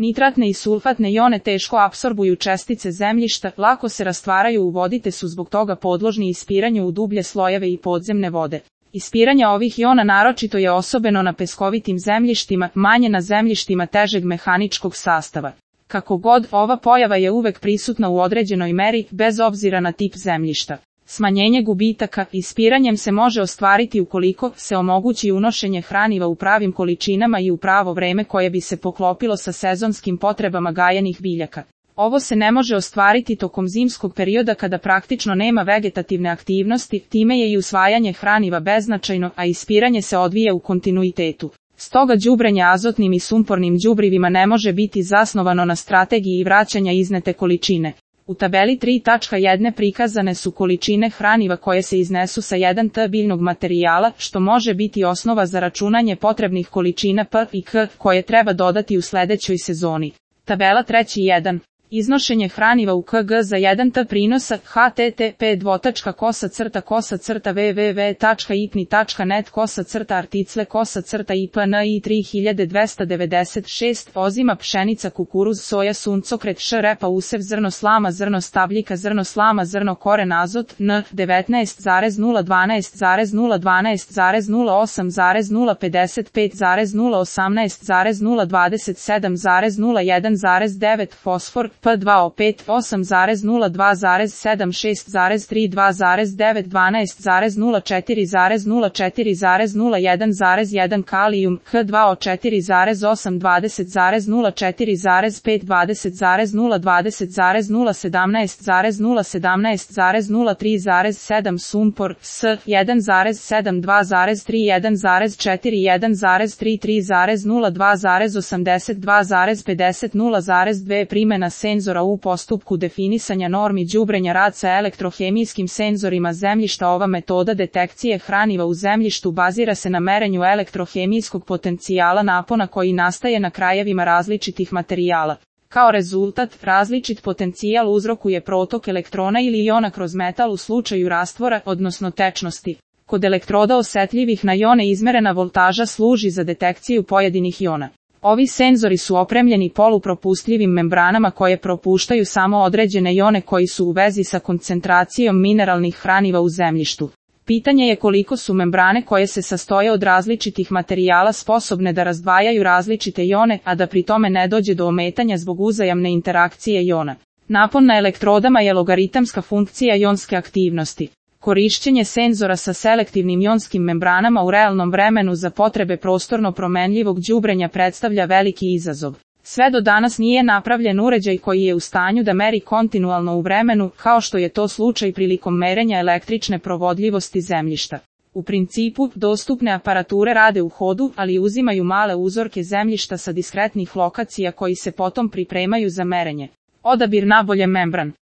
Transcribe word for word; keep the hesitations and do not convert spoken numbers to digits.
Nitratne i sulfatne ione teško apsorbuju čestice zemljišta, lako se rastvaraju u vodi te su zbog toga podložni ispiranju u dublje slojeve i podzemne vode. Ispiranje ovih iona naročito je osobeno na peskovitim zemljištima, manje na zemljištima težeg mehaničkog sastava. Kako god, ova pojava je uvek prisutna u određenoj meri, bez obzira na tip zemljišta. Smanjenje gubitaka ispiranjem se može ostvariti ukoliko se omogući unošenje hraniva u pravim količinama i u pravo vreme koje bi se poklopilo sa sezonskim potrebama gajenih biljaka. Ovo se ne može ostvariti tokom zimskog perioda kada praktično nema vegetativne aktivnosti, time je i usvajanje hraniva beznačajno, a ispiranje se odvija u kontinuitetu. Stoga đubrenje azotnim i sumpornim đubrivima ne može biti zasnovano na strategiji vraćanja iznete količine. U tabeli tri tačka jedan prikazane su količine hraniva koje se iznesu sa jedan ton biljnog materijala, što može biti osnova za računanje potrebnih količina P i K koje treba dodati u sledećoj sezoni. Tabela tri jedan. Iznošenje hraniva u K G za jedan ton prinosa H T T P dvotačka kosa crta kosa crta w w w tačka i p n i tačka net kosa crta article kosa crta I P N I tri hiljade dvesta devedeset šest ozima pšenica kukuruz soja suncokret š repa usev zrno slama zrno stabljika zrno slama zrno koren azot N devetnaest zarez nula dvanaest zarez nula dvanaest zarez nula osam zarez nula pedeset pet zarez nula osamnaest zarez nula dvadeset sedam zarez nula jedan zarez devet fosfor P dva O pet osam zarez nula dva zarez sedam šest zarez tri dva zarez devet dvanaest zarez nula četiri zarez nula četiri zarez nula jedan zarez jedan kalijum H dva O četiri zarez osam dvadeset zarez nula četiri zarez pet dvadeset zarez nula dvadeset zarez nula sedamnaest zarez nula sedamnaest zarez nula tri zarez sedam sumpor S jedan zarez sedam dva zarez tri jedan zarez četiri jedan zarez tri tri zarez nula dva zarez osamdeset dva zarez pedeset nula zarez dva primjena senzora u postupku definisanja normi đubrenja rad sa elektrohemijskim senzorima zemljišta. Ova metoda detekcije hraniva u zemljištu bazira se na merenju elektrohemijskog potencijala napona koji nastaje na krajevima različitih materijala. Kao rezultat, različit potencijal uzrokuje protok elektrona ili iona kroz metal u slučaju rastvora, odnosno tečnosti. Kod elektroda osetljivih na ione izmerena voltaža služi za detekciju pojedinih iona. Ovi senzori su opremljeni polupropustljivim membranama koje propuštaju samo određene ione koji su u vezi sa koncentracijom mineralnih hraniva u zemljištu. Pitanje je koliko su membrane koje se sastoje od različitih materijala sposobne da razdvajaju različite ione, a da pri tome ne dođe do ometanja zbog uzajamne interakcije iona. Napon na elektrodama je logaritamska funkcija ionske aktivnosti. Korišćenje senzora sa selektivnim ionskim membranama u realnom vremenu za potrebe prostorno promenljivog đubrenja predstavlja veliki izazov. Sve do danas nije napravljen uređaj koji je u stanju da meri kontinualno u vremenu, kao što je to slučaj prilikom merenja električne provodljivosti zemljišta. U principu, dostupne aparature rade u hodu, ali uzimaju male uzorke zemljišta sa diskretnih lokacija koji se potom pripremaju za merenje. Odabir nabolje membran.